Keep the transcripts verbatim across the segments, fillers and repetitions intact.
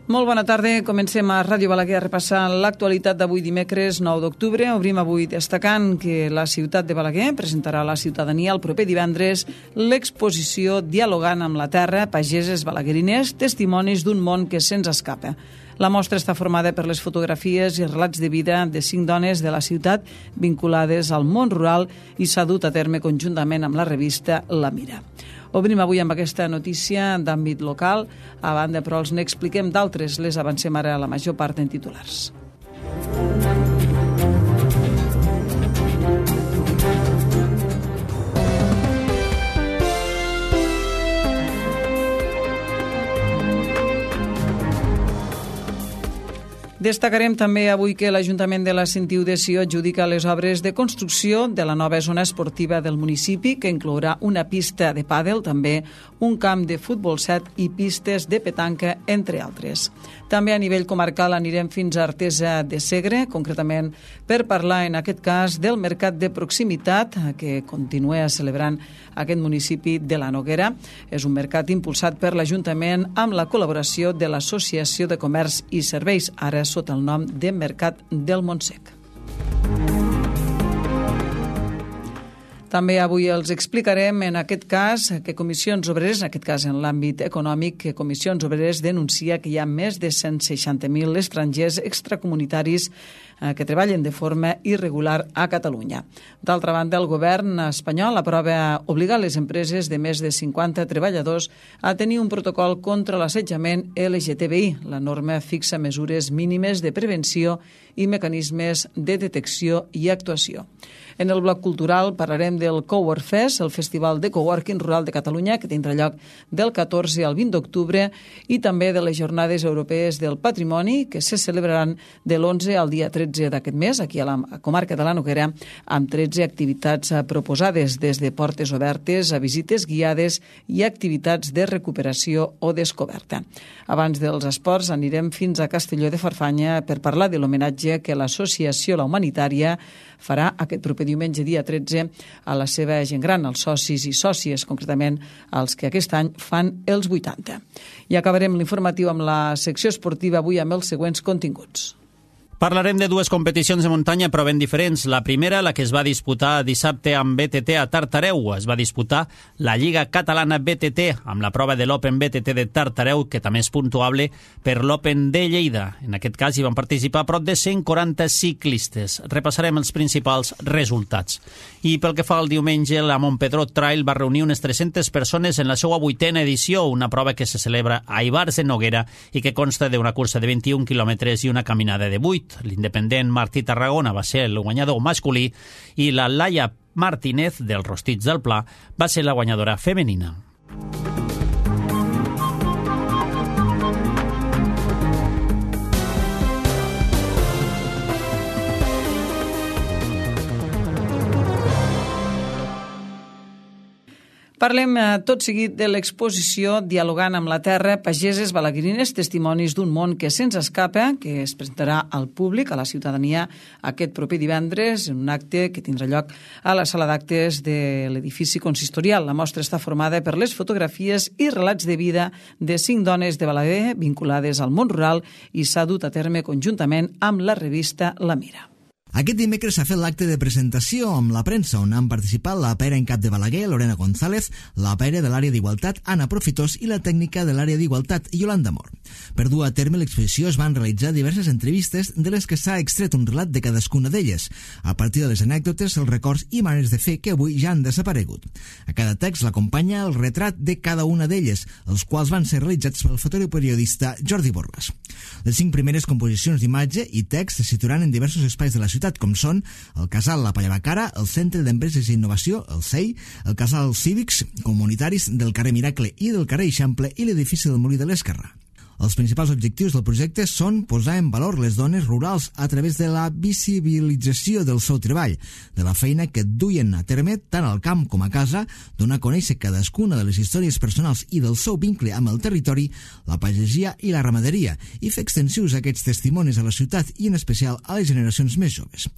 Molt bona tarda. Comencem a Ràdio Balaguer a repassar l'actualitat d'avui dimecres nou d'octubre. Obrim avui destacant que la ciutat de Balaguer presentarà a la ciutadania el proper divendres l'exposició Dialogant amb la terra, pageses balaguerines, testimonis d'un món que se'ns escapa. La mostra està formada per les fotografies i relats de vida de cinc dones de la ciutat vinculades al món rural i s'ha dut a terme conjuntament amb la revista La Mira. Obrim avui amb aquesta notícia d'àmbit local. A banda, però, els n'expliquem d'altres. Les avancem ara a la major part en titulars. Destacarem també avui que l'Ajuntament de la Sentiu de Sió adjudica les obres de construcció de la nova zona esportiva del municipi, que inclourà una pista de pàdel, també un camp de futbol set i pistes de petanca, entre altres. També a nivell comarcal anirem fins a Artesa de Segre, concretament per parlar en aquest cas del mercat de proximitat que continua celebrant aquest municipi de la Noguera. És un mercat impulsat per l'Ajuntament amb la col·laboració de l'Associació de Comerç i Serveis, ara sota el nom de Mercat del Montsec. També avui els explicarem, en aquest cas, que Comissions Obreres, en aquest cas en l'àmbit econòmic, que Comissions Obreres denuncia que hi ha més de cent seixanta mil estrangers extracomunitaris que treballen de forma irregular a Catalunya. D'altra banda, el govern espanyol aprova obligar les empreses de més de cinquanta treballadors a tenir un protocol contra l'assetjament L G T B I. La norma fixa mesures mínimes de prevenció i mecanismes de detecció i actuació. En el bloc cultural parlarem del Cowork Fest, el festival de coworking rural de Catalunya, que tindrà lloc del catorze al vint d'octubre, i també de les Jornades Europees del Patrimoni, que se celebraran de l'onze al dia tretze d'aquest mes, aquí a la comarca de la Noguera, amb tretze activitats proposades, des de portes obertes a visites guiades i activitats de recuperació o descoberta. Abans dels esports anirem fins a Castelló de Farfanya per parlar de l'homenatge que l'Associació La Humanitària farà aquest proper diumenge, dia tretze, a la seva gent gran, als socis i sòcies, concretament als que aquest any fan els vuitanta. I acabarem l'informatiu amb la secció esportiva avui amb els següents continguts. Parlarem de dues competicions de muntanya però ben diferents. La primera, la que es va disputar dissabte amb B T T a Tartareu. Es va disputar la Lliga Catalana B T T amb la prova de l'Open B T T de Tartareu, que també és puntuable per l'Open de Lleida. En aquest cas hi van participar prop de cent quaranta ciclistes. Repassarem els principals resultats. I pel que fa al diumenge, la Montpedró Trail va reunir unes tres-centes persones en la seva vuitena edició, una prova que se celebra a Ivars de Noguera i que consta d'una cursa de vint-i-un quilòmetres i una caminada de vuit. L'independent Martí Tarragona va ser el guanyador masculí i la Laia Martínez del Rostits del Pla va ser la guanyadora femenina. Parlem tot seguit de l'exposició Dialogant amb la terra, pageses balaguerines, testimonis d'un món que se'ns escapa, que es presentarà al públic, a la ciutadania, aquest proper divendres, en un acte que tindrà lloc a la sala d'actes de l'edifici consistorial. La mostra està formada per les fotografies i relats de vida de cinc dones de Balaguer vinculades al món rural i s'ha dut a terme conjuntament amb la revista La Mira. Aquest dimecres s'ha fet l'acte de presentació amb la premsa, on han participat la pera en cap de Balaguer, Lorena González, la pera de l'àrea d'Igualtat, Anna Profitós, i la tècnica de l'àrea d'Igualtat, Yolanda Mor. Per dur a terme l'exposició es van realitzar diverses entrevistes de les que s'ha extret un relat de cadascuna d'elles, a partir de les anècdotes, els records i maneres de fer que avui ja han desaparegut. A cada text l'acompanya el retrat de cada una d'elles, els quals van ser realitzats pel fotoperiodista Jordi Borràs. Les cinc primeres composicions d'imatge i text se situaran en diversos espais de la ciutat, com són el Casal La Pallabacara, el Centre d'Empreses i Innovació, el C E I, el Casal Cívics Comunitaris del carrer Miracle i del carrer Eixample i l'edifici del Molí de l'Esquerrà. Els principals objectius del projecte són posar en valor les dones rurals a través de la visibilització del seu treball, de la feina que duien a terme tant al camp com a casa, donar a conèixer cadascuna de les històries personals i del seu vincle amb el territori, la pagesia i la ramaderia, i fer extensius aquests testimonis a la ciutat i en especial a les generacions més joves.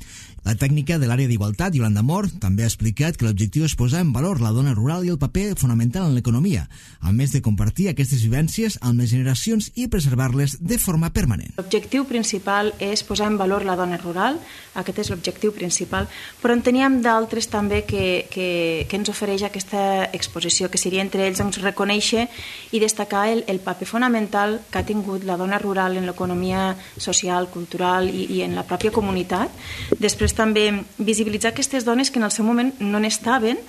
La tècnica de l'àrea d'Igualtat, Yolanda Mor, també ha explicat que l'objectiu és posar en valor la dona rural i el paper fonamental en l'economia, a més de compartir aquestes vivències amb les generacions tradicions i preservar-les de forma permanent. L'objectiu principal és posar en valor la dona rural, aquest és l'objectiu principal, però en teníem d'altres també que, que, que ens ofereix aquesta exposició, que seria entre ells doncs, reconèixer i destacar el, el paper fonamental que ha tingut la dona rural en l'economia social, cultural i, i en la pròpia comunitat. Després també visibilitzar aquestes dones que en el seu moment no n'estaven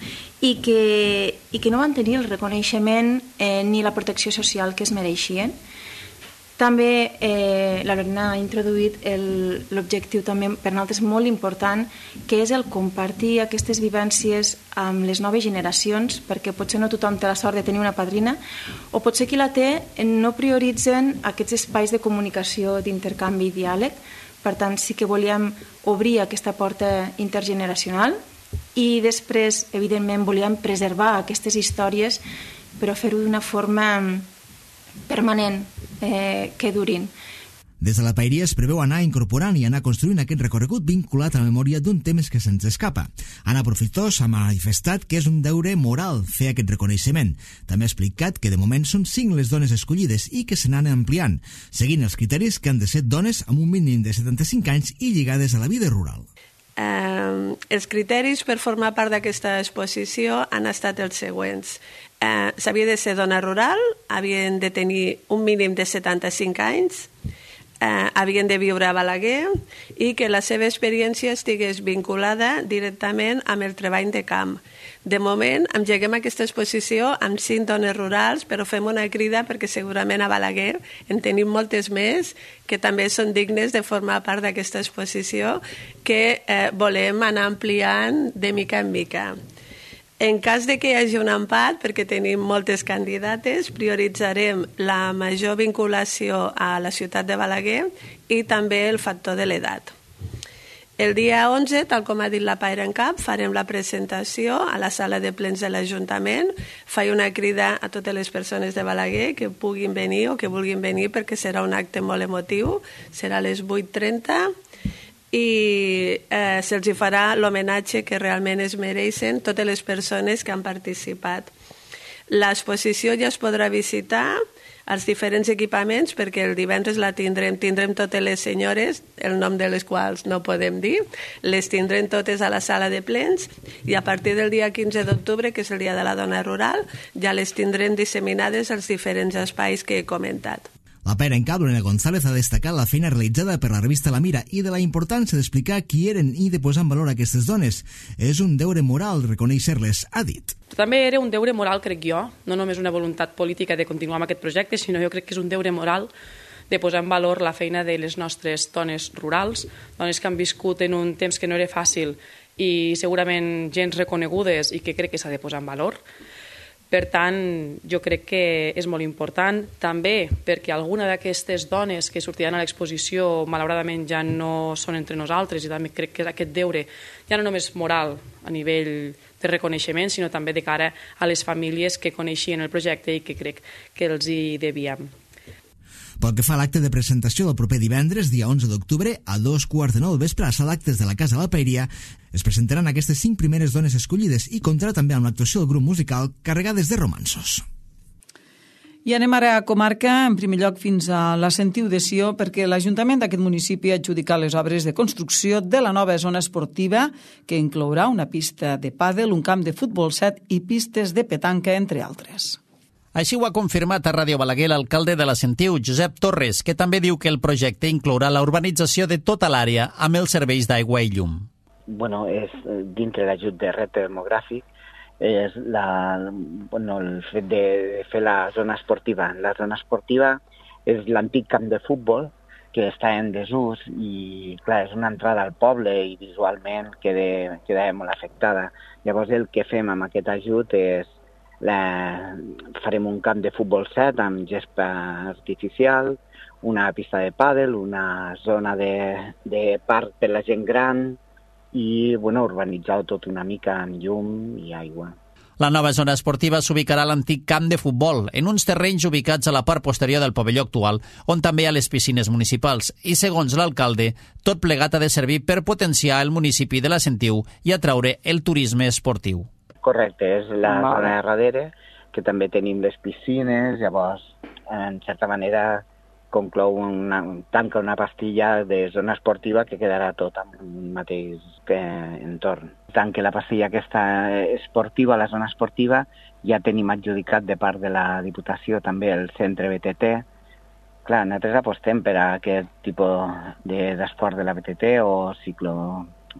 i que, i que no van tenir el reconeixement eh, ni la protecció social que es mereixien. També eh, la Lorena ha introduït l'objectiu també per nosaltres molt important, que és el compartir aquestes vivències amb les noves generacions, perquè potser no tothom té la sort de tenir una padrina, o potser qui la té no prioritzen aquests espais de comunicació, d'intercanvi i diàleg. Per tant, sí que volíem obrir aquesta porta intergeneracional i després, evidentment, volíem preservar aquestes històries però fer-ho d'una forma permanent, eh, que durin. Des de la paeria es preveu anar incorporant i anar construint aquest recorregut vinculat a la memòria d'un temps que se'ns escapa. Anna Profitós ha manifestat que és un deure moral fer aquest reconeixement. També ha explicat que de moment són cinc les dones escollides i que se n'han ampliant, seguint els criteris que han de ser dones amb un mínim de setanta-cinc anys i lligades a la vida rural. Eh, els criteris per formar part d'aquesta exposició han estat els següents. Eh, s'havia de ser dona rural, havien de tenir un mínim de setanta-cinc anys, eh, havien de viure a Balaguer i que la seva experiència estigués vinculada directament amb el treball de camp. De moment, engeguem aquesta exposició amb cinc dones rurals, però fem una crida perquè segurament a Balaguer en tenim moltes més que també són dignes de formar part d'aquesta exposició que eh, volem anar ampliant de mica en mica. En cas de que hi hagi un empat, perquè tenim moltes candidates, prioritzarem la major vinculació a la ciutat de Balaguer i també el factor de l'edat. El dia onze, tal com ha dit la Paire en Cap, farem la presentació a la sala de plens de l'Ajuntament. Faig una crida a totes les persones de Balaguer que puguin venir o que vulguin venir perquè serà un acte molt emotiu. Serà a les vuit trenta i eh, se'ls farà l'homenatge que realment es mereixen totes les persones que han participat. L'exposició ja es podrà visitar als diferents equipaments perquè el divendres la tindrem, tindrem totes les senyores, el nom de les quals no podem dir, les tindrem totes a la sala de plens i a partir del dia quinze d'octubre, que és el dia de la dona rural, ja les tindrem disseminades als diferents espais que he comentat. La Paire en Cap, Lorena González, ha destacat la feina realitzada per la revista La Mira i de la importància d'explicar qui eren i de posar en valor aquestes dones. És un deure moral reconèixer-les, ha dit. També era un deure moral, crec jo, no només una voluntat política de continuar amb aquest projecte, sinó jo crec que és un deure moral de posar en valor la feina de les nostres dones rurals, dones que han viscut en un temps que no era fàcil i segurament gens reconegudes i que crec que s'ha de posar en valor. Per tant, jo crec que és molt important, també perquè alguna d'aquestes dones que sortiran a l'exposició malauradament ja no són entre nosaltres i també crec que aquest deure ja no només moral a nivell de reconeixement, sinó també de cara a les famílies que coneixien el projecte i que crec que els hi devíem. Pel que fa a l'acte de presentació del proper divendres, dia onze d'octubre, a dos quarts de nou del vespre a la sala d'actes de la Casa de la Paeria, es presentaran aquestes cinc primeres dones escollides i comptarà també amb l'actuació del grup musical Carregades de Romanços. I anem ara a comarca, en primer lloc fins a la Sentiu de Sió, perquè l'Ajuntament d'aquest municipi ha adjudicat les obres de construcció de la nova zona esportiva, que inclourà una pista de pàdel, un camp de futbol set i pistes de petanca, entre altres. Així ho ha confirmat a Ràdio Balaguer l'alcalde de la Sentiu, Josep Torres, que també diu que el projecte inclourà la urbanització de tota l'àrea amb els serveis d'aigua i llum. Bueno, és dintre l'ajut de repte demogràfic, és la, bueno, el fet de fer la zona esportiva. La zona esportiva és l'antic camp de futbol que està en desús i, clar, és una entrada al poble i visualment queda, queda molt afectada. Llavors el que fem amb aquest ajut és La, farem un camp de futbol set amb gespa artificial, una pista de pàdel, una zona de, de parc per la gent gran i bueno, urbanitzar tot una mica amb llum i aigua. La nova zona esportiva s'ubicarà a l'antic camp de futbol, en uns terrenys ubicats a la part posterior del pavelló actual, on també hi ha les piscines municipals, i segons l'alcalde, tot plegat ha de servir per potenciar el municipi de la Sentiu i atraure el turisme esportiu. Correcte, és la zona de darrere, que també tenim les piscines, llavors en certa manera, conclou una, tanca una pastilla de zona esportiva que quedarà tot en un mateix eh, entorn. Tant que la pastilla aquesta esportiva, la zona esportiva, ja tenim adjudicat de part de la Diputació també el centre B T T. Clar, nosaltres apostem per a aquest tipus d'esport de la B T T o ciclo,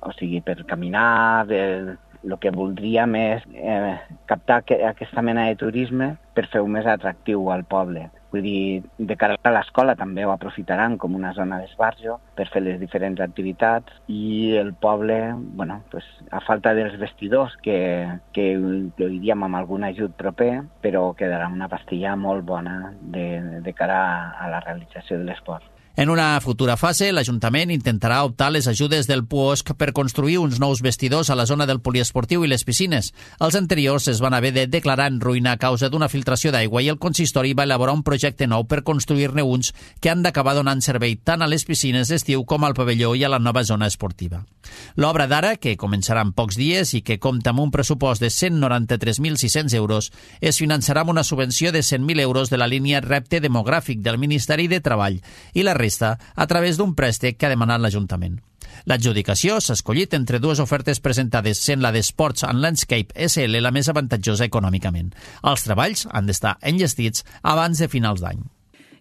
o sigui, per caminar, el, el que voldríem és eh, captar que, aquesta mena de turisme per fer-ho més atractiu al poble. Vull dir, de cara a l'escola també ho aprofitaran com una zona d'esbarjo per fer les diferents activitats i el poble, bueno, pues, a falta dels vestidors, que, que ho diríem amb algun ajut proper, però quedarà una pastilla molt bona de, de cara a la realització de l'esport. En una futura fase, l'Ajuntament intentarà optar les ajudes del P U O S C per construir uns nous vestidors a la zona del poliesportiu i les piscines. Els anteriors es van haver de declarar en ruïna a causa d'una filtració d'aigua i el consistori va elaborar un projecte nou per construir-ne uns que han d'acabar donant servei tant a les piscines d'estiu com al pavelló i a la nova zona esportiva. L'obra d'ara, que començarà en pocs dies i que compta amb un pressupost de cent noranta-tres mil sis-cents euros, es finançarà amb una subvenció de cent mil euros de la línia Repte Demogràfic del Ministeri de Treball i la resta a través d'un préstec que ha demanat l'Ajuntament. L'adjudicació s'ha escollit entre dues ofertes presentades, sent la d'Sports and Landscape S L la més avantatjosa econòmicament. Els treballs han d'estar enllestits abans de finals d'any.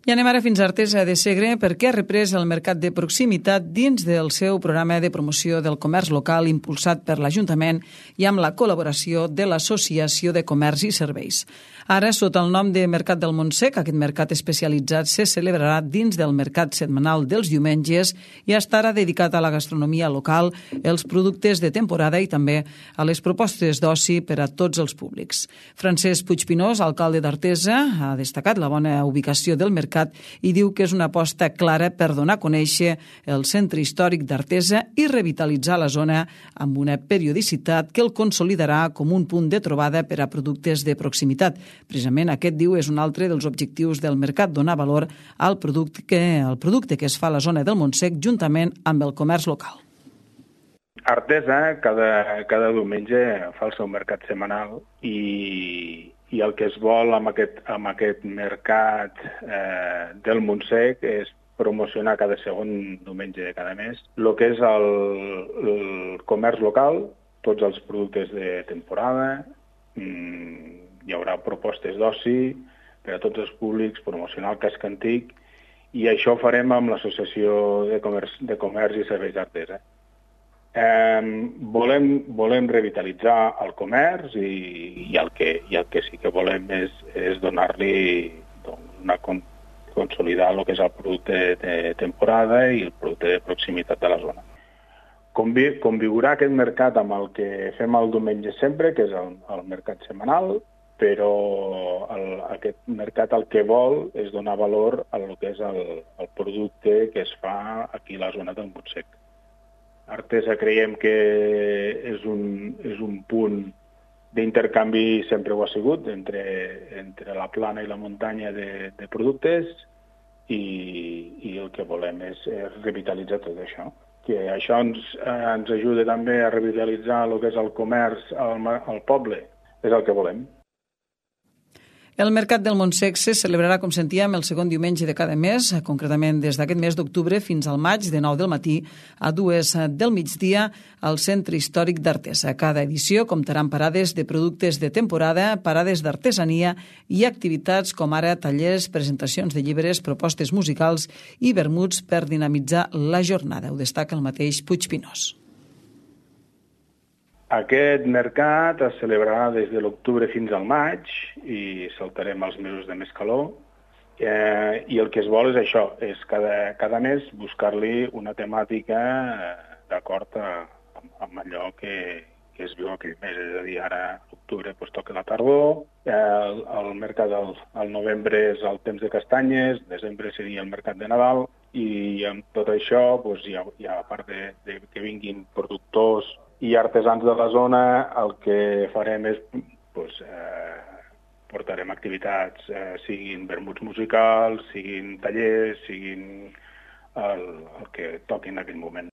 I anem ara fins a Artesa de Segre perquè ha reprès el mercat de proximitat dins del seu programa de promoció del comerç local impulsat per l'Ajuntament i amb la col·laboració de l'Associació de Comerç i Serveis. Ara, sota el nom de Mercat del Montsec, aquest mercat especialitzat se celebrarà dins del mercat setmanal dels diumenges i estarà dedicat a la gastronomia local, els productes de temporada i també a les propostes d'oci per a tots els públics. Francesc Puigpinós, alcalde d'Artesa, ha destacat la bona ubicació del mercat i diu que és una aposta clara per donar a conèixer el centre històric d'Artesa i revitalitzar la zona amb una periodicitat que el consolidarà com un punt de trobada per a productes de proximitat. Precisament aquest, diu, és un altre dels objectius del mercat, donar valor al producte que, al producte que es fa a la zona del Montsec juntament amb el comerç local. Artesa cada, cada diumenge fa el seu mercat setmanal i, i el que es vol amb aquest, amb aquest mercat eh, del Montsec és promocionar cada segon diumenge de cada mes el que és el, el comerç local, tots els productes de temporada, mmm, hi haurà propostes d'oci per a tots els públics, promocionar el casc antic, i això ho farem amb l'Associació de Comerç, de Comerç i Serveis d'Artesa. Eh, volem, volem revitalitzar el comerç i, i, el que, i el que sí que volem és, és donar-li, una, consolidar el que és el producte de temporada i el producte de proximitat de la zona. Convi, conviurà aquest mercat amb el que fem el diumenge sempre, que és el, el mercat setmanal, però el, aquest mercat el que vol és donar valor a el que és el, el producte que es fa aquí a la zona del Montsec. Artesa creiem que és un, és un punt d'intercanvi, sempre ho ha sigut, entre, entre la plana i la muntanya de, de productes i, i el que volem és, és revitalitzar tot això. Que això ens, ens ajuda també a revitalitzar el que és el comerç al, al poble, és el que volem. El Mercat del Montsec se celebrarà, com sentíem, el segon diumenge de cada mes, concretament des d'aquest mes d'octubre fins al maig, de nou del matí a dues del migdia, al Centre Històric d'Artesa. Cada edició comptarà amb parades de productes de temporada, parades d'artesania i activitats com ara tallers, presentacions de llibres, propostes musicals i vermuts per dinamitzar la jornada. Ho destaca el mateix Puigpinós. Aquest mercat es celebrarà des de l'octubre fins al maig i saltarem els mesos de més calor. Eh, I el que es vol és això, és cada, cada mes buscar-li una temàtica eh, d'acord amb, amb allò que, que es viu aquell mes. És a dir, ara a l'octubre pues, toca la tardor, eh, el, el mercat al, al novembre és el temps de castanyes, desembre seria el mercat de Nadal i amb tot això, pues, hi ha, hi ha a part de, de que vinguin productors i artesans de la zona, el que farem és, doncs, eh, portarem activitats, eh, siguin vermuts musicals, siguin tallers, siguin el, el que toqui en aquell moment.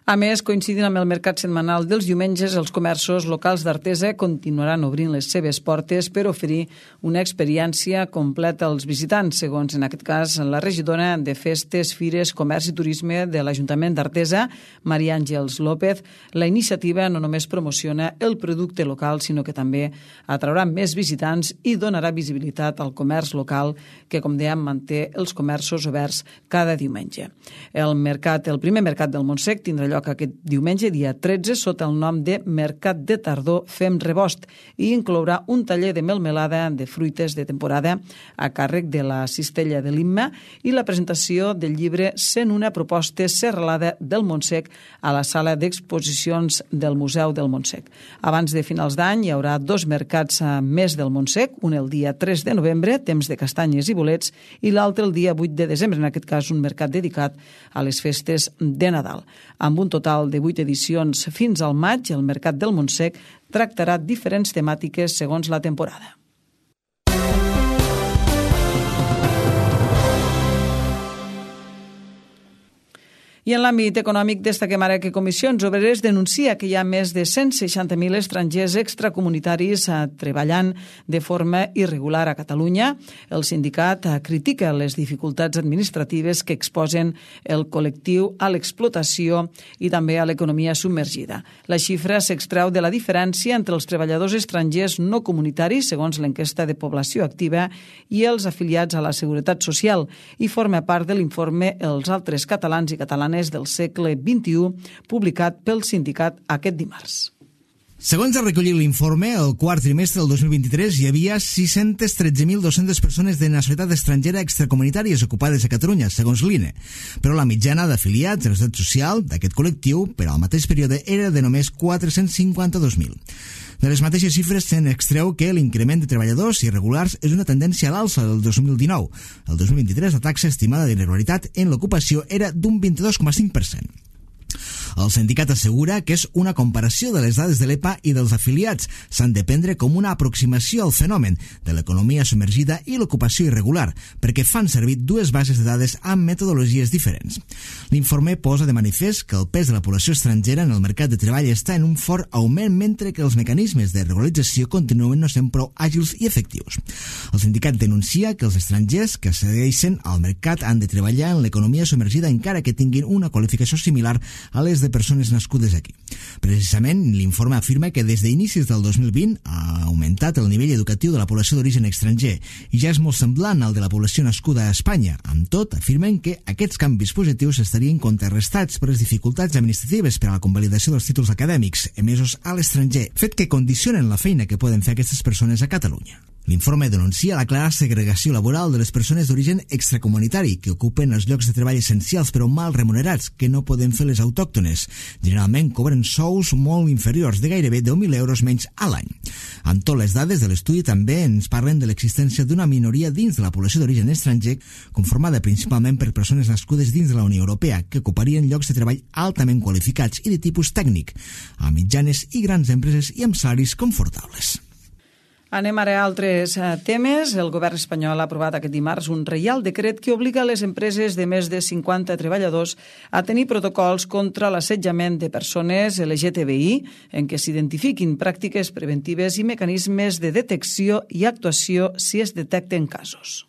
A més, coincidint amb el mercat setmanal dels diumenges, els comerços locals d'Artesa continuaran obrint les seves portes per oferir una experiència completa als visitants, segons en aquest cas la regidora de Festes, Fires, Comerç i Turisme de l'Ajuntament d'Artesa, Maria Àngels López. La iniciativa no només promociona el producte local, sinó que també atraurà més visitants i donarà visibilitat al comerç local que, com dèiem, manté els comerços oberts cada diumenge. El mercat, el primer mercat del Montsec tindrà lloc aquest diumenge, dia tretze, sota el nom de Mercat de Tardor Fem Rebost i inclourà un taller de melmelada de fruites de temporada a càrrec de la Cistella de l'Imma i la presentació del llibre cent una propostes serralada del Montsec a la sala d'exposicions del Museu del Montsec. Abans de finals d'any hi haurà dos mercats més del Montsec, un el dia tres de novembre, temps de castanyes i bolets, i l'altre el dia vuit de desembre, en aquest cas un mercat dedicat a les festes de Nadal. Amb un total de vuit edicions fins al maig, el Mercat del Montsec tractarà diferents temàtiques segons la temporada. I en l'àmbit econòmic destaquem ara que Comissions Obreres denuncia que hi ha més de cent seixanta mil estrangers extracomunitaris treballant de forma irregular a Catalunya. El sindicat critica les dificultats administratives que exposen el col·lectiu a l'explotació i també a l'economia submergida. La xifra s'extreu de la diferència entre els treballadors estrangers no comunitaris, segons l'enquesta de població activa, i els afiliats a la Seguretat Social, i forma part de l'informe Els altres catalans i catalanes del segle vint-i-u, publicat pel sindicat aquest dimarts. Segons ha recollit l'informe, el quart trimestre del dos mil vint-i-tres hi havia sis-cents tretze mil dos-cents persones de nacionalitat estrangera extracomunitàries ocupades a Catalunya, segons l'I N E. Però la mitjana d'afiliats a la Seguretat Social d'aquest col·lectiu per al mateix període era de només quatre-cents cinquanta-dos mil. De les mateixes xifres se'n extreu que l'increment de treballadors irregulars és una tendència a l'alça del dos mil dinou. El dos mil vint-i-tres la taxa estimada d'irregularitat en l'ocupació era d'un vint-i-dos coma cinc per cent. El sindicat assegura que és una comparació de les dades de l'E P A i dels afiliats. S'han de prendre com una aproximació al fenomen de l'economia submergida i l'ocupació irregular, perquè fan servir dues bases de dades amb metodologies diferents. L'informe posa de manifest que el pes de la població estrangera en el mercat de treball està en un fort augment, mentre que els mecanismes de regularització continuen no sent prou àgils i efectius. El sindicat denuncia que els estrangers que accedeixen al mercat han de treballar en l'economia submergida encara que tinguin una qualificació similar a les de persones nascudes aquí. Precisament, l'informe afirma que des d'inicis del dos mil vint ha augmentat el nivell educatiu de la població d'origen estranger i ja és molt semblant al de la població nascuda a Espanya. Amb tot, afirmen que aquests canvis positius estarien contrarrestats per les dificultats administratives per a la convalidació dels títols acadèmics emesos a l'estranger, fet que condicionen la feina que poden fer aquestes persones a Catalunya. L'informe denuncia la clara segregació laboral de les persones d'origen extracomunitari que ocupen els llocs de treball essencials però mal remunerats que no poden fer les autòctones. Generalment cobren sous molt inferiors, de gairebé deu mil euros menys a l'any. Amb tot, les dades de l'estudi també ens parlen de l'existència d'una minoria dins de la població d'origen estranger conformada principalment per persones nascudes dins de la Unió Europea que ocuparien llocs de treball altament qualificats i de tipus tècnic, a mitjanes i grans empreses i amb salaris confortables. Anem ara a altres temes. El govern espanyol ha aprovat aquest dimarts un reial decret que obliga les empreses de més de cinquanta treballadors a tenir protocols contra l'assetjament de persones L G T B I en què s'identifiquin pràctiques preventives i mecanismes de detecció i actuació si es detecten casos.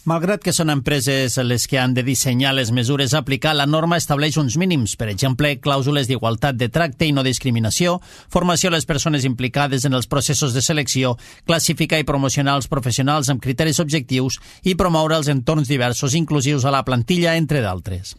Malgrat que són empreses les que han de dissenyar les mesures a aplicar, la norma estableix uns mínims, per exemple, clàusules d'igualtat de tracte i no discriminació, formació a les persones implicades en els processos de selecció, classificar i promocionar els professionals amb criteris objectius i promoure els entorns diversos inclusius a la plantilla, entre d'altres.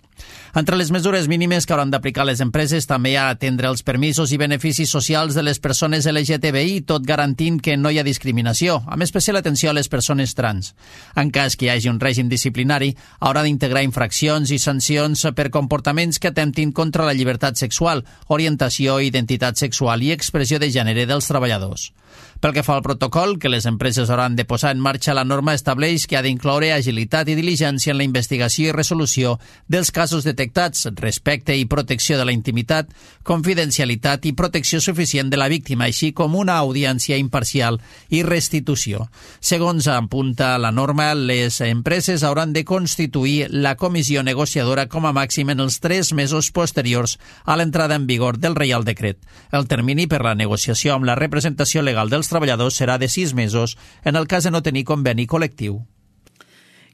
Entre les mesures mínimes que hauran d'aplicar les empreses també hi ha atendre els permisos i beneficis socials de les persones L G T B I, tot garantint que no hi ha discriminació, amb especial atenció a les persones trans. En cas que hi hagi un règim disciplinari, haurà d'integrar infraccions i sancions per comportaments que atemptin contra la llibertat sexual, orientació, identitat sexual i expressió de gènere dels treballadors. Pel que fa al protocol que les empreses hauran de posar en marxa, la norma estableix que ha d'incloure agilitat i diligència en la investigació i resolució dels casos casos detectats, respecte i protecció de la intimitat, confidencialitat i protecció suficient de la víctima, així com una audiència imparcial i restitució. Segons apunta la norma, les empreses hauran de constituir la comissió negociadora com a màxim en els tres mesos posteriors a l'entrada en vigor del Reial Decret. El termini per la negociació amb la representació legal dels treballadors serà de sis mesos en el cas de no tenir conveni col·lectiu.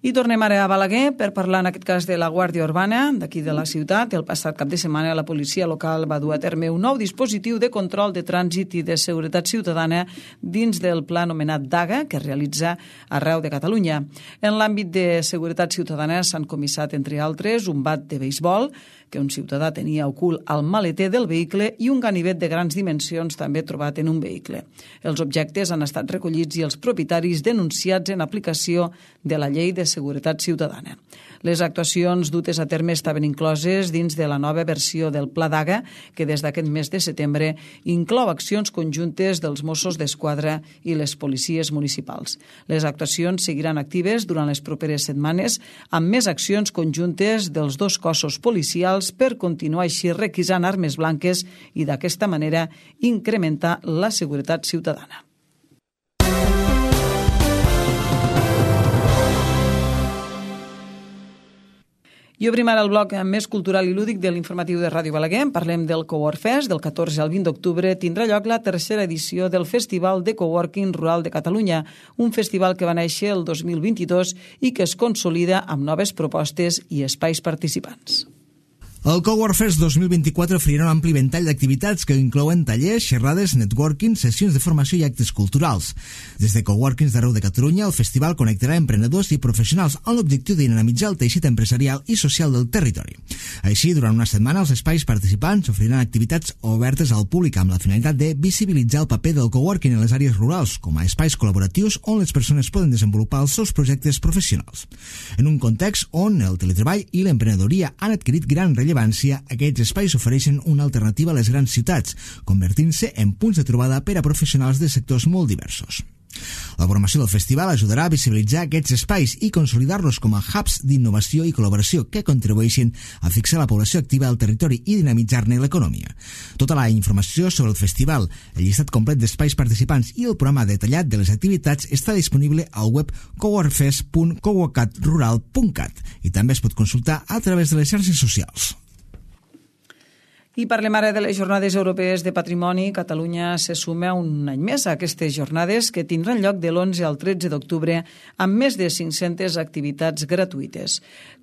I tornem ara a Balaguer per parlar en aquest cas de la Guàrdia Urbana d'aquí de la ciutat. El passat cap de setmana la policia local va dur a terme un nou dispositiu de control de trànsit i de seguretat ciutadana dins del pla anomenat DAGA que es realitza arreu de Catalunya. En l'àmbit de seguretat ciutadana s'han comissat, entre altres, un bat de beisbol que un ciutadà tenia ocult al maleter del vehicle i un ganivet de grans dimensions també trobat en un vehicle. Els objectes han estat recollits i els propietaris denunciats en aplicació de la Llei de Seguretat Ciutadana. Les actuacions dutes a terme estaven incloses dins de la nova versió del Pla DAGA, que des d'aquest mes de setembre inclou accions conjuntes dels Mossos d'Esquadra i les policies municipals. Les actuacions seguiran actives durant les properes setmanes amb més accions conjuntes dels dos cossos policials per continuar així requisant armes blanques i d'aquesta manera incrementar la seguretat ciutadana. I obrim ara el bloc més cultural i lúdic de l'informatiu de Ràdio Balaguer. Parlem del Cowork Fest. Del catorze al vint d'octubre tindrà lloc la tercera edició del Festival de Coworking Rural de Catalunya, un festival que va néixer el dos mil vint-i-dos i que es consolida amb noves propostes i espais participants. El Cowork Fest dos mil vint-i-quatre oferirà un ampli ventall d'activitats que inclouen tallers, xerrades, networking, sessions de formació i actes culturals. Des de coworkings d'arreu de Catalunya, el festival connectarà emprenedors i professionals amb l'objectiu de dinamitzar el teixit empresarial i social del territori. Així, durant una setmana, els espais participants oferiran activitats obertes al públic amb la finalitat de visibilitzar el paper del coworking en les àrees rurals, com a espais col·laboratius on les persones poden desenvolupar els seus projectes professionals. En un context on el teletreball i l'emprenedoria han adquirit gran rellevància, aquests espais ofereixen una alternativa a les grans ciutats, convertint-se en punts de trobada per a professionals de sectors molt diversos. La programació del festival ajudarà a visibilitzar aquests espais i consolidar-los com a hubs d'innovació i col·laboració que contribueixin a fixar la població activa al territori i dinamitzar-ne l'economia. Tota la informació sobre el festival, el llistat complet d'espais participants i el programa detallat de les activitats està disponible al web coworkfest punt coworkat rural punt cat i també es pot consultar a través de les xarxes socials. I parlem ara de les Jornades Europees de Patrimoni. Catalunya se suma un any més a aquestes jornades que tindran lloc de l'onze al tretze d'octubre amb més de cinc-centes activitats gratuïtes.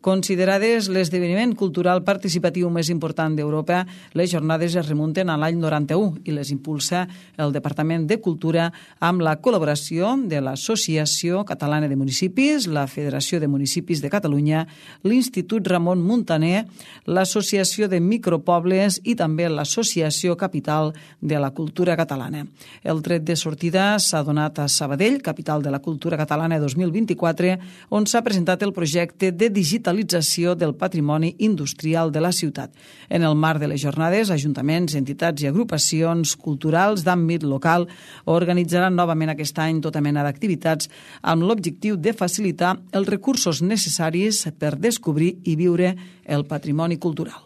Considerades l'esdeveniment cultural participatiu més important d'Europa, les jornades es remunten a l'any noranta-u i les impulsa el Departament de Cultura amb la col·laboració de l'Associació Catalana de Municipis, la Federació de Municipis de Catalunya, l'Institut Ramon Muntaner, l'Associació de Micropobles i també l'Associació Capital de la Cultura Catalana. El tret de sortida s'ha donat a Sabadell, capital de la cultura catalana dos mil vint-i-quatre, on s'ha presentat el projecte de digitalització del patrimoni industrial de la ciutat. En el marc de les jornades, ajuntaments, entitats i agrupacions culturals d'àmbit local organitzaran novament aquest any tota mena d'activitats amb l'objectiu de facilitar els recursos necessaris per descobrir i viure el patrimoni cultural.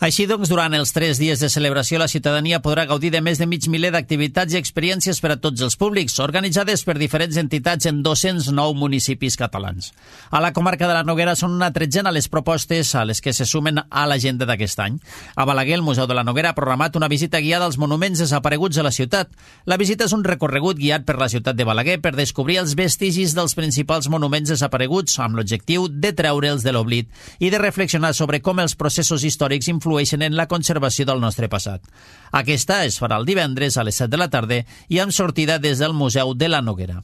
Així doncs, durant els tres dies de celebració, la ciutadania podrà gaudir de més de mig miler d'activitats i experiències per a tots els públics, organitzades per diferents entitats en dos-cents nou municipis catalans. A la comarca de la Noguera són una tretzena les propostes a les que se sumen a l'agenda d'aquest any. A Balaguer, el Museu de la Noguera ha programat una visita guiada als monuments desapareguts a la ciutat. La visita és un recorregut guiat per la ciutat de Balaguer per descobrir els vestigis dels principals monuments desapareguts amb l'objectiu de treure'ls de l'oblit i de reflexionar sobre com els processos històrics influeixen en la conservació del nostre passat. Aquesta es farà el divendres a les set de la tarda i amb sortida des del Museu de la Noguera.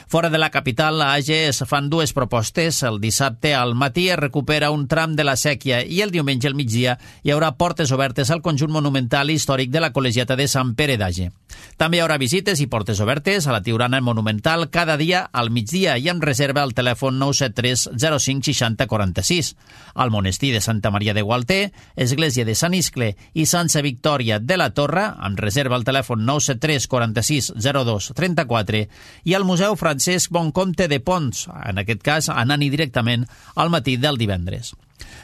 Fora de la capital, a Age es fan dues propostes. El dissabte al matí es recupera un tram de la Sèquia i el diumenge al migdia hi haurà portes obertes al conjunt monumental i històric de la Col·legiata de Sant Pere d'Age. També hi haurà visites i portes obertes a la Tiurana Monumental cada dia al migdia i amb reserva al telèfon nou set tres zero cinc sis zero quatre sis. Al monestir de Santa Maria de Gualter, església de Sant Iscle i Santa Victòria de la Torre, amb reserva al telèfon nou set tres quatre sis zero dos tres quatre, i al Museu Tartareu, Francesc Boncompte de Pons, en aquest cas anant-hi directament al matí del divendres.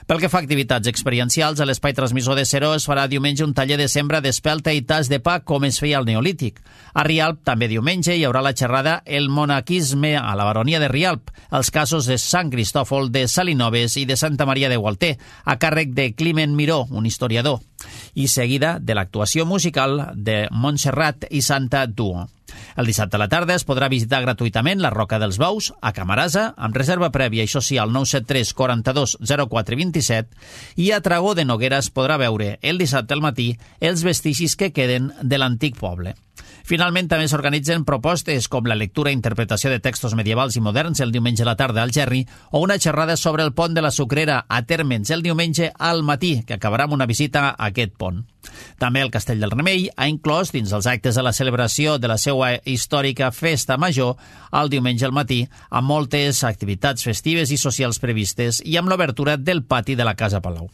Pel que fa a activitats experiencials, a l'espai transmissor de Seró es farà diumenge un taller de sembra d'espelta i tas de pa com es feia al Neolític. A Rialp, també diumenge, hi haurà la xerrada El monaquisme a la baronia de Rialp, els casos de Sant Cristòfol, de Salinoves i de Santa Maria de Gualter, a càrrec de Climent Miró, un historiador, i seguida de l'actuació musical de Montserrat i Santa Duo. El dissabte a la tarda es podrà visitar gratuïtament la Roca dels Bous, a Camarasa, amb reserva prèvia, això sí, al nou set tres quaranta-dos zero quatre vint-i-set, i a Tragó de Noguera es podrà veure el dissabte al matí els vestigis que queden de l'antic poble. Finalment, també s'organitzen propostes com la lectura i interpretació de textos medievals i moderns el diumenge a la tarda al Gerri o una xerrada sobre el pont de la Sucrera a Térmens el diumenge al matí, que acabarà amb una visita a aquest pont. També el Castell del Remei ha inclòs dins els actes de la celebració de la seva històrica festa major el diumenge al matí, amb moltes activitats festives i socials previstes i amb l'obertura del pati de la Casa Palau.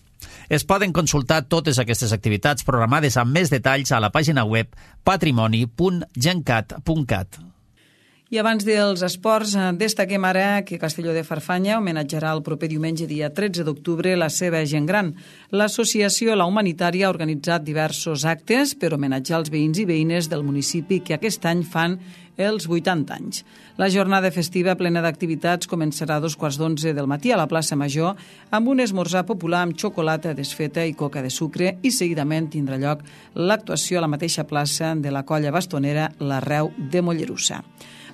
Es poden consultar totes aquestes activitats programades amb més detalls a la pàgina web patrimoni punt gencat punt cat. I abans dels esports, destaquem ara que Castelló de Farfanya homenatjarà el proper diumenge, dia tretze d'octubre, la seva gent gran. L'associació La Humanitària ha organitzat diversos actes per homenatjar els veïns i veïnes del municipi que aquest any fan els vuitanta anys. La jornada festiva plena d'activitats començarà a dos quarts d'onze del matí a la plaça Major amb un esmorzar popular amb xocolata desfeta i coca de sucre i seguidament tindrà lloc l'actuació a la mateixa plaça de la colla bastonera l'Arreu de Mollerussa.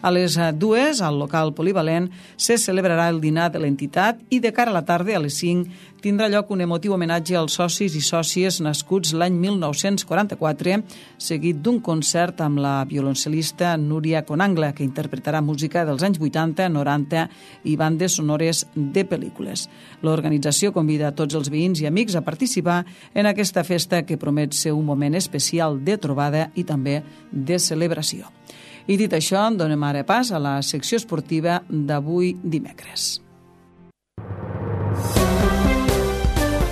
A les dues, al local polivalent, se celebrarà el dinar de l'entitat i de cara a la tarda, a les cinc, tindrà lloc un emotiu homenatge als socis i sòcies nascuts l'any mil nou-cents quaranta-quatre, seguit d'un concert amb la violoncel·lista Núria Conangla, que interpretarà música dels anys vuitanta, noranta i bandes sonores de pel·lícules. L'organització convida a tots els veïns i amics a participar en aquesta festa que promet ser un moment especial de trobada i també de celebració. I dit això, donem ara pas a la secció esportiva d'avui dimecres.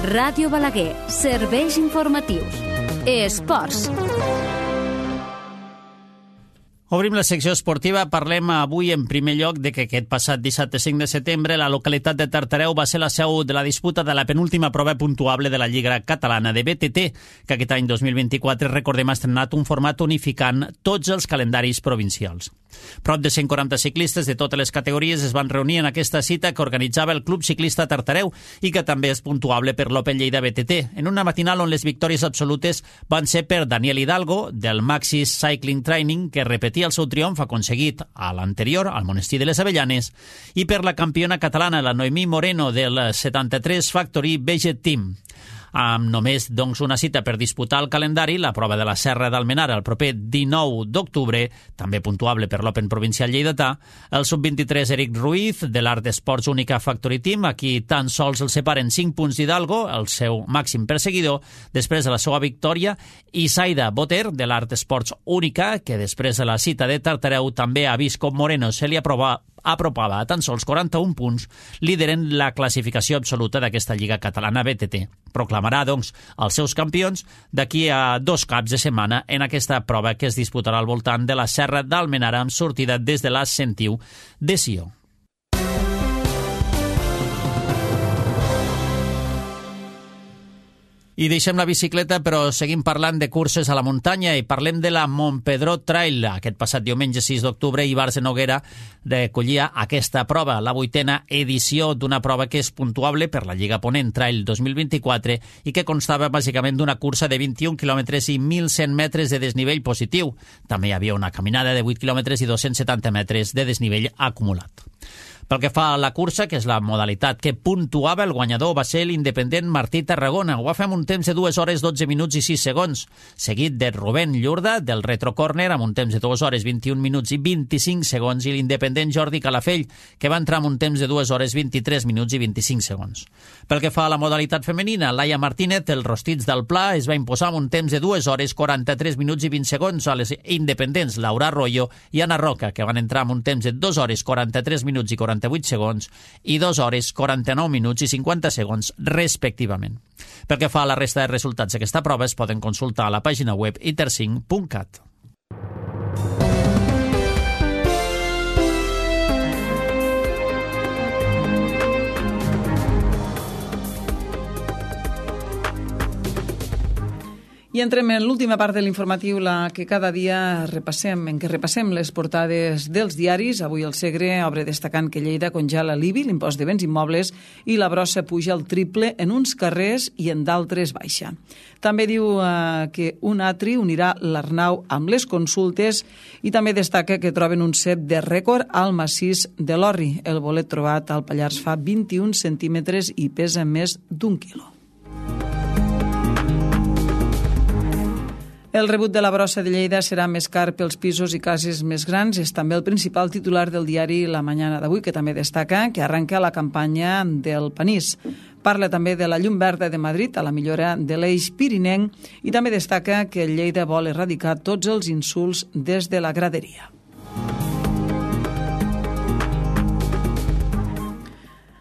Ràdio Balaguer, serveis informatius. Esports. Obrim la secció esportiva. Parlem avui en primer lloc de que aquest passat dissabte cinc de setembre la localitat de Tartareu va ser la seu de la disputa de la penúltima prova puntuable de la Lliga Catalana de B T T, que aquest any dos mil vint-i-quatre, recordem, ha estrenat un format unificant tots els calendaris provincials. Prop de cent quaranta ciclistes de totes les categories es van reunir en aquesta cita que organitzava el Club Ciclista Tartareu i que també és puntuable per l'Open Lleida B T T, en una matinal on les victòries absolutes van ser per Daniel Hidalgo, del Maxis Cycling Training, que repetia el seu triomf aconseguit a l'anterior, al Monestir de les Avellanes, i per la campiona catalana, la Noemí Moreno, del setanta-tres Factory Veget Team. Amb només doncs, una cita per disputar el calendari, la prova de la Serra d'Almenara el proper dinou d'octubre, també puntuable per l'Open Provincial Lleidatà, el sub vint-i-tres Eric Ruiz, de l'Art Esports Única Factory Team, aquí tan sols el separen cinc punts d'Hidalgo, el seu màxim perseguidor, després de la seva victòria, i Saida Boter, de l'Art Esports Única, que després de la cita de Tartareu també ha vist com Moreno se li aprova apropava a tan sols quaranta-un punts, lideren la classificació absoluta d'aquesta Lliga Catalana B T T. Proclamarà, doncs, els seus campions d'aquí a dos caps de setmana en aquesta prova que es disputarà al voltant de la Serra d'Almenara amb sortida des de la Sentiu de Sió. I deixem la bicicleta, però seguim parlant de curses a la muntanya i parlem de la Montpedró Trail. Aquest passat diumenge sis d'octubre, Ivars de Noguera recollia aquesta prova, la vuitena edició d'una prova que és puntuable per la Lliga Ponent Trail dos mil vint-i-quatre i que constava bàsicament d'una cursa de vint-i-un quilòmetres i mil cent metres de desnivell positiu. També hi havia una caminada de vuit quilòmetres i dos-cents setanta metres de desnivell acumulat. Pel que fa a la cursa, que és la modalitat que puntuava, el guanyador va ser l'independent Martí Tarragona. Ho va fer amb un temps de dues hores, dotze minuts i sis segons, seguit de Rubén Llurda, del Retro Corner, amb un temps de dues hores, vint-i-un minuts i vint-i-cinc segons, i l'independent Jordi Calafell, que va entrar amb un temps de dues hores, vint-i-tres minuts i vint-i-cinc segons. Pel que fa a la modalitat femenina, Laia Martínez, del Rostits del Pla, es va imposar amb un temps de dues hores, quaranta-tres minuts i vint segons a les independents Laura Arroyo i Anna Roca, que van entrar amb un temps de dues hores, quaranta-tres minuts i quaranta-vuit segons i dues hores, quaranta-nou minuts i cinquanta segons, respectivament. Pel que fa a la resta de resultats d'aquesta prova, es poden consultar a la pàgina web iter cinc punt cat. I entrem en l'última part de l'informatiu, la que cada dia repassem, en què repassem les portades dels diaris. Avui el Segre obre destacant que Lleida congela l'I B I, l'impost de béns immobles, i la brossa puja el triple en uns carrers i en d'altres baixa. També diu eh, que un atri unirà l'Arnau amb les consultes i també destaca que troben un cep de rècord al massís de l'Orri. El bolet trobat al Pallars fa vint-i-un centímetres i pesa més d'un quilo. El rebut de la brossa de Lleida serà més car pels pisos i cases més grans. És també el principal titular del diari La Mañana d'avui, que també destaca que arranca la campanya del panís. Parla també de la llum verda de Madrid a la millora de l'eix pirinenc i també destaca que Lleida vol erradicar tots els insults des de la graderia.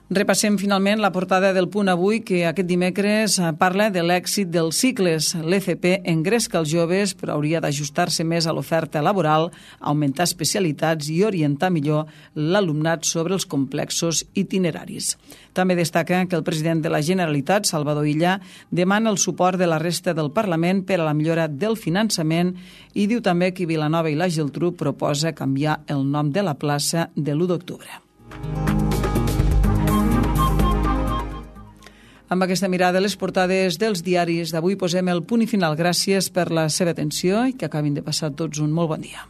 Repassem finalment la portada del Punt avui, que aquest dimecres parla de l'èxit dels cicles. L'E C P engresca els joves, però hauria d'ajustar-se més a l'oferta laboral, augmentar especialitats i orientar millor l'alumnat sobre els complexos itineraris. També destaca que el president de la Generalitat, Salvador Illa, demana el suport de la resta del Parlament per a la millora del finançament i diu també que Vilanova i la Geltrú proposa canviar el nom de la plaça de l'u d'octubre. Amb aquesta mirada a les portades dels diaris d'avui posem el punt i final. Gràcies per la seva atenció i que acabin de passar tots un molt bon dia.